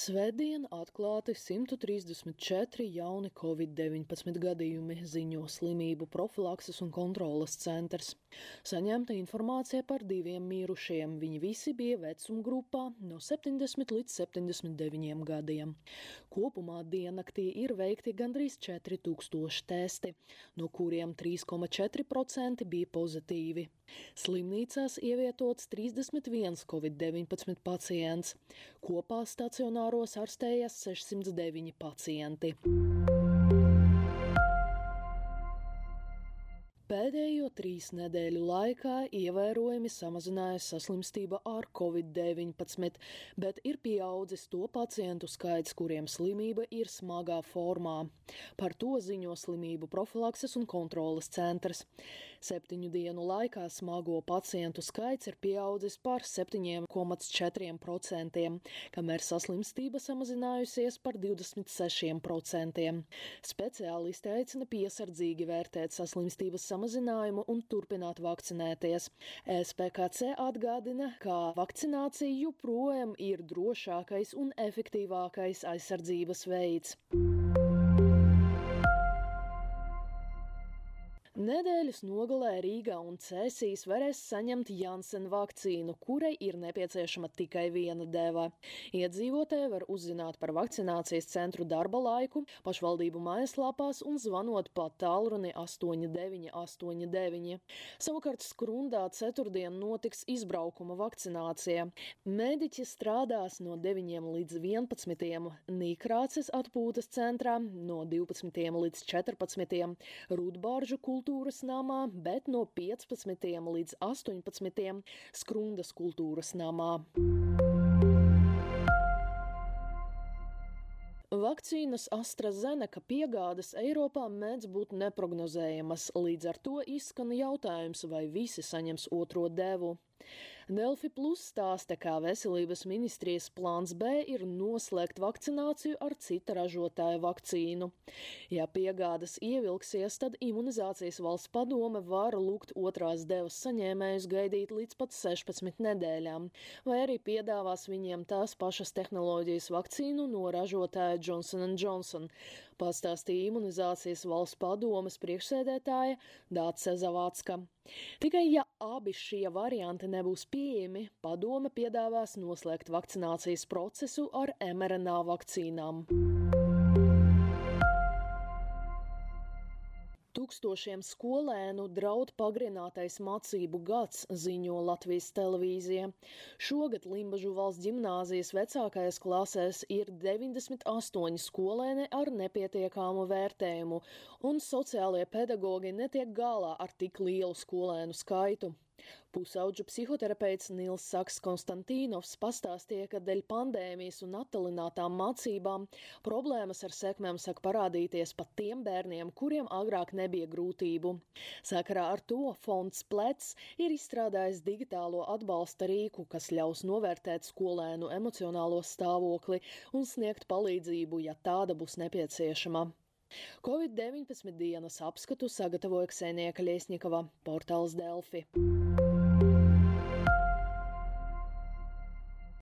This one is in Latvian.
Svētdien atklāti 134 jauni Covid-19 gadījumi, ziņo Slimību profilakses un kontroles centrs. Saņemta informācija par 2 mirušiem. Viņi visi bija vecumgrupā no 70 līdz 79 gadiem. Kopumā diennaktī ir veikti gandrīz 4000 testi, no kuriem 3,4% bija pozitīvi. Slimnīcās ievietots 31 Covid-19 pacients. Kopā stacionāros ārstējas 609 pacienti. Pēdējo 3 nedēļu laikā ievērojami samazinājas saslimstība ar Covid-19, bet ir pieaudzis to pacientu skaits, kuriem slimība ir smagā formā. Par to ziņo Slimību profilakses un kontroles centrs. 7 dienu laikā smago pacientu skaits ir pieaudzis par 7,4%, kamēr saslimstība samazinājusies par 26%. Speciālisti aicina piesardzīgi vērtēt saslimstības samazinājumu un turpināt vakcinēties. SPKC atgādina, ka vakcinācija joprojām ir drošākais un efektīvākais aizsardzības veids. Nedēļas nogalē Rīgā un Cēsīs varēs saņemt Janssen vakcīnu, kurai ir nepieciešama tikai viena deva. Iedzīvotāji var uzzināt par vakcinācijas centru darba laiku, pašvaldību mājaslapās un zvanot pa tālruni 8989. Savukārt Skrundā ceturtdien notiks izbraukuma vakcinācija. Mediķi strādās no 9 līdz 11, Nīkrāces atpūtas centrā no 12 līdz 14, Rudbāržu kultūras namā, bet no 15 līdz 18 Skrundas kultūras namā. Vakcīnas AstraZeneca piegādes Eiropā mēdz būt neprognozējamas, līdz ar to izskan jautājums, vai visi saņems otro devu. Delfi Plus stāsta, kā Veselības ministrijas plāns B ir noslēgt vakcināciju ar cita ražotāja vakcīnu. Ja piegādes ievilksies, tad Imunizācijas valsts padome var lūgt otrās devas saņēmējus gaidīt līdz pat 16 nedēļām, vai arī piedāvās viņiem tās pašas tehnoloģijas vakcīnu no ražotāja Johnson & Johnson, pastāstīja Imunizācijas valsts padomes priekšsēdētāja Dāce Zavācka. Tikai ja abi šie varianti nebūs pieejami, padome piedāvās noslēgt vakcinācijas procesu ar mRNA vakcīnām. Tūkstošiem skolēnu draud pagarinātais mācību gads, ziņo Latvijas televīzija. Šogad Limbažu valsts ģimnāzijas vecākajās klasēs ir 98 skolēni ar nepietiekamu vērtējumu, un sociālie pedagogi netiek galā ar tik lielu skolēnu skaitu. Pusaudžu psihoterapeits Nils Saks Konstantīnovs pastāstīja, ka dēļ pandēmijas un attālinātām mācībām problēmas ar sekmēm sāk parādīties pat tiem bērniem, kuriem agrāk nebija grūtību. Sakarā ar to fonds Plec ir izstrādājis digitālo atbalsta rīku, kas ļaus novērtēt skolēnu emocionālo stāvokli un sniegt palīdzību, ja tāda būs nepieciešama. Covid-19 dienas apskatu sagatavoja Ksenija Kaļiesņikova, portāls Delfi.